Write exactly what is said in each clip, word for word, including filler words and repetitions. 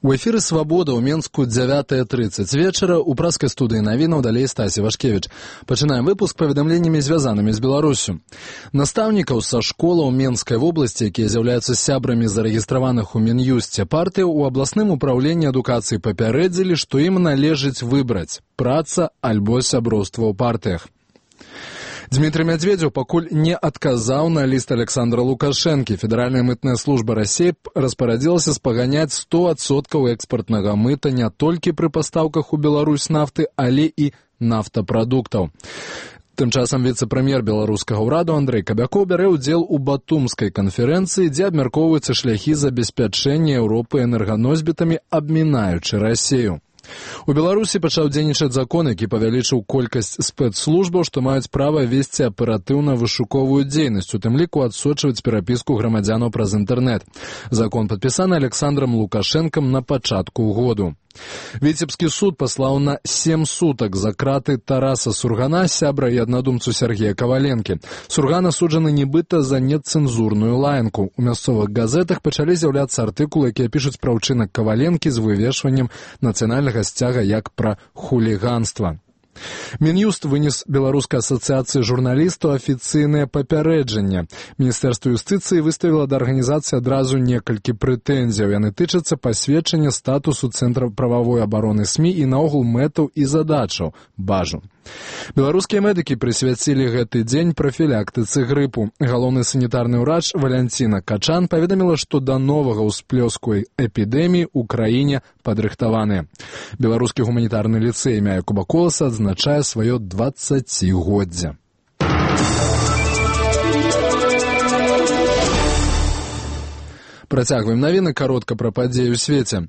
У эфіры «Свабода» ў Менску дзявятая трыццаць вечара у праскай студыі навінаў далей Стасі Вашкевіч. Пачынаем выпуск паведамленнямі, звязанымі з Беларусю. Настаўнікаў са школаў Менскай вобласці, якія з'яўляюцца сябрамі зарэгістраваных у Мін'юсце партыяў, у абласным упраўленні адукацыі папярэдзілі, што ім належыць выбраць – праца альбо сяброўства ў партыях. Дмитрий Медведев пакуль не адказаў на ліст Александра Лукашэнкі. Федэральная мытная служба России распарадзілася спаганяць сто адсоткаў экспартнага мыта не толькі пры пастаўках у Беларусь нафты, але і нафтапрадуктаў. Тым часам віцэ-прэм'ер беларускага ўраду Андрэй Кабякоў бярэ ўдзел у Батумскай канферэнцыі, дзе абмяркоўваюцца шляхі забеспячэння Еўропы энерганосьбітамі, абмінаючы Расію. У Беларусі пачаў дзейнічаць закон, які павялічыў колькасць спецслужбаў, што маюць права весці аператыўна-вышуковую дзейнасць, у тым ліку адсочваць перапіску грамадзянаў праз інтэрнэт. Закон падпісаны Александром Лукашэнкам на пачатку году. Віцебскі суд паслаў на сем сутак за краты Тараса Сургана, сябра і аднадумцу Сергея Каваленкі. Сурган асуджаны нібыта за нецэнзурную лаянку. У мясцовых газетах пачалі з'яўляцца артыкулы, якія пішуць пра ўчынак Каваленкі з вывешваннем нацыянальнага сцяга як пра хуліганства. Мін'юст вынес Беларускай асацыяцыі журналістаў афіцыйнае папярэджанне. Міністэрства юстыцыі выставіла да арганізацыі адразу некалькі прэтэнзіяў. Яны тычацца пасведчання статусу Цэнтра прававой абароны СМІ і наогул мэтаў і задачаў бажу. Беларускія медыкі прысвяцілі гэты дзень прафілактыцы грыпу. Галоўны санітарны ўрач Валянціна Качан паведаміла, што да новага ўсплёску эпідэміі ў краіне падрыхтаваныя. Беларускі гуманітарны ліцэй імя Якуба Коласа адзначае сваё дваццацігоддзе. Працягваем навіны каротка пра падзеі ў свеце.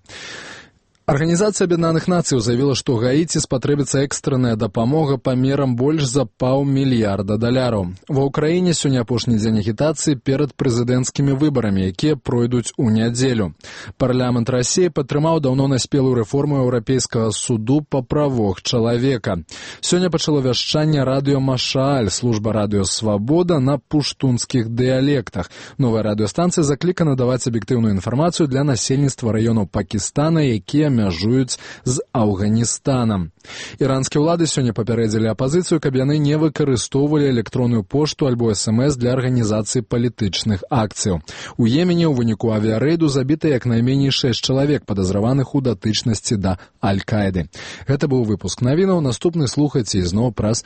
Арганізацыя Аб'яднаных Нацыяў заявіла, што Гаіці спатрэбіцца экстранная дапамога памерам больш за паўмільярда даляраў. Ва ўкраіне сёння апошні дзень агітацыі перад прэзідэнцкімі выбарамі, якія пройдуць у нядзелю. Парламент Расіі падтрымаў даўно наспелую рэформу Еўрапейскага суду па правах чалавека. Сёння пачало вяшчанне радыё Машааль, служба радыё Свабода на пуштунскіх дыялектах. Новая радыёстанцыя заклікана даваць аб'ектыўную інфармацыю для насельніцтва раёнаў Пакістана, якія мяжуюць з Афганістанам. Іранскія ўлады сёння папярэдзілі апазіцыю, каб яны не выкарыстоўвалі электронную пошту альбо эс эм эс для арганізацыі палітычных акцыяў. У Йемене ў выніку авіярэйду забіта як найменей шэсць чалавек, падазраваных у датычнасці да Аль-Каіды. Гэта быў выпуск навінаў. Наступны слухайце ізноў праз